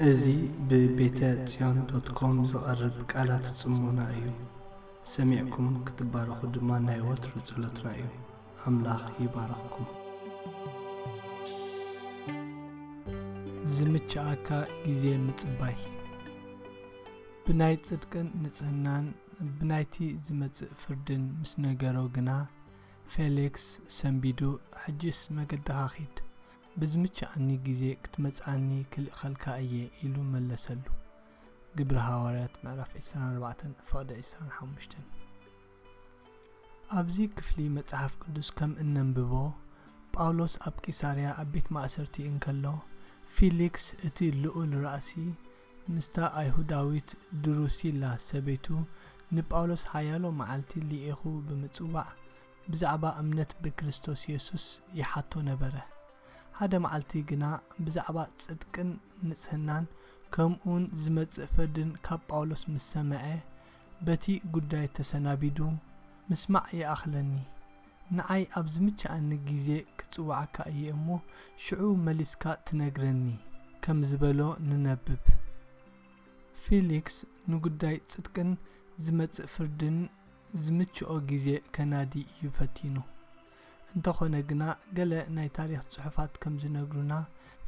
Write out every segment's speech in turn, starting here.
እዚ ብቤተ ጽዮን ዶት ኮም ዝቐርብ ቃላት ጽሞና እዩ። ሰሚዕኩም ክትባረኹ ድማ ናይ ወትሩ ጸሎትና እዩ። ኣምላኽ ይባርኽኩም። ዝምችኣካ ግዜ ምጽባይ። ብናይ ጽድቅን ንጽህናን ብናይቲ ዝመጽእ ፍርድን ምስ ነገሮ ግና፣ ፌሊክስ ሰንቢዱ፣ "ሕጅስ መገድኻ ኺድ፣ ብዝምችኣኒ ግዜ ክትመጽኣኒ ክልእኸልካ እየ" ኢሉ መለሰሉ። ግብሪ ሃዋርያት ምዕራፍ ዕስራን ኣርባዕተን ፍቕዲ ዕስራን ሓሙሽተን። ኣብዚ ክፍሊ መጽሓፍ ቅዱስ ከም እነንብቦ፣ ጳውሎስ ኣብ ቂሳርያ ኣብ ቤት ማእሰርቲ እንከሎ፣ ፊሊክስ እቲ ልኡል ራእሲ ምስታ ኣይሁዳዊት ድሩሲላ ሰበይቱ ንጳውሎስ ሓያሎ መዓልቲ ልኢኹ ብምጽዋዕ ብዛዕባ እምነት ብክርስቶስ የሱስ ይሓቶ ነበረ። ሓደ መዓልቲ ግና ብዛዕባ ጽድቅን ንጽህናን ከምኡውን ዝመጽእ ፍርድን ካብ ጳውሎስ ምስ ሰምዐ፣ በቲ ጉዳይ ተሰናቢዱ፣ "ምስማዕ ይኣኽለኒ፣ ንዓይ ኣብ ዝምችኣኒ ግዜ ክጽውዓካ እየ እሞ፣ ሽዑ መሊስካ ትነግረኒ" ከም ዝበሎ ንነብብ። ፊሊክስ ንጉዳይ ጽድቅን ዝመጽእ ፍርድን ዝምችኦ ግዜ ከናዲ እዩ ፈቲኑ። እንተኾነ ግና፣ ገለ ናይ ታሪኽ ጽሑፋት ከም ዝነግሩና፣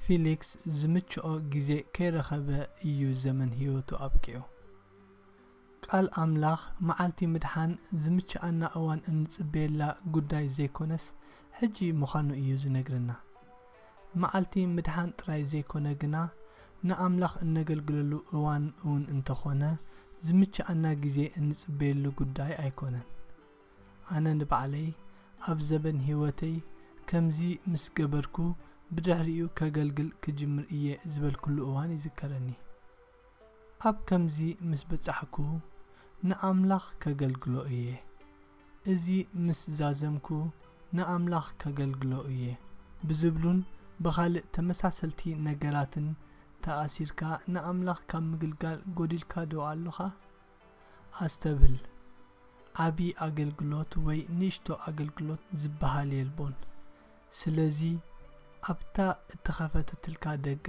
ፊሊክስ ዝምችኦ ግዜ ከይረኸበ እዩ ዘመን ህይወቱ ኣብቂዑ። ቃል ኣምላኽ፣ መዓልቲ ምድሓን ዝምችኣና እዋን እንጽበየላ ጉዳይ ዘይኮነስ፣ ሕጂ ምዃኑ እዩ ዝነግረና። መዓልቲ ምድሓን ጥራይ ዘይኮነ ግና፣ ንኣምላኽ እነገልግለሉ እዋን እውን እንተኾነ፣ ዝምችኣና ግዜ እንጽበየሉ ጉዳይ ኣይኮነን። ኣነ ንባዕለይ ኣብ ዘበን ህይወተይ ከምዚ ምስ ገበርኩ፣ ብድሕሪኡ ከገልግል ክጅምር እየ ዝበልኩሉ እዋን ይዝከረኒ። ኣብ ከምዚ ምስ በጻሕኩ፣ ንኣምላኽ ከገልግሎ እየ። እዚ ምስ ዛዘምኩ፣ ንኣምላኽ ከገልግሎ እየ ብዝብሉን ብኻልእ ተመሳሰልቲ ነገራትን ተኣሲርካ ንኣምላኽ ካብ ምግልጋል ጎዲልካ ዶ ኣሎኻ? ኣስተብህል። ዓቢ ኣገልግሎት ወይ ንእሽቶ ኣገልግሎት ዝበሃል የልቦን። ስለዚ፣ ኣብታ እተኸፈተትልካ ደገ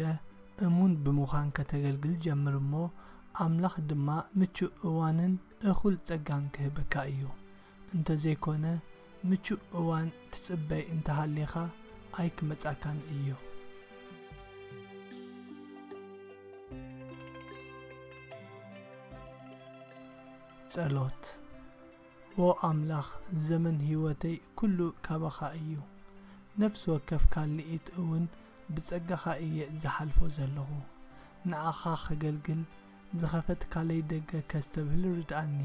እሙን ብምዃን ከተገልግል ጀምር እሞ፣ ኣምላኽ ድማ ምቹእ እዋንን እኹል ጸጋን ክህበካ እዩ። እንተዘይኮነ፣ ምቹእ እዋን ትጽበይ እንተሃሊኻ፣ ኣይክመጻካን እዩ። ጸሎት። ዎ ኣምላኽ፣ ዘመን ህይወተይ ኩሉ ካባኻ እዩ። ነፍሲ ወከፍ ካልኢት እውን ብጸጋኻ እየ ዝሓልፎ ዘለኹ። ንዓኻ ከገልግል ዝኸፈትካለይ ደገ ከስተብህል ርድኣኒ።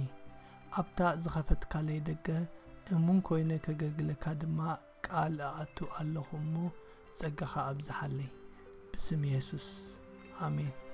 ኣብታ ዝኸፈትካለይ ደገ እሙን ኮይነ ከገልግለካ ድማ ቃል እኣቱ ኣለኹ እሞ፣ ጸጋኻ ኣብዝሓለይ። ብስም የሱስ፣ ኣሜን።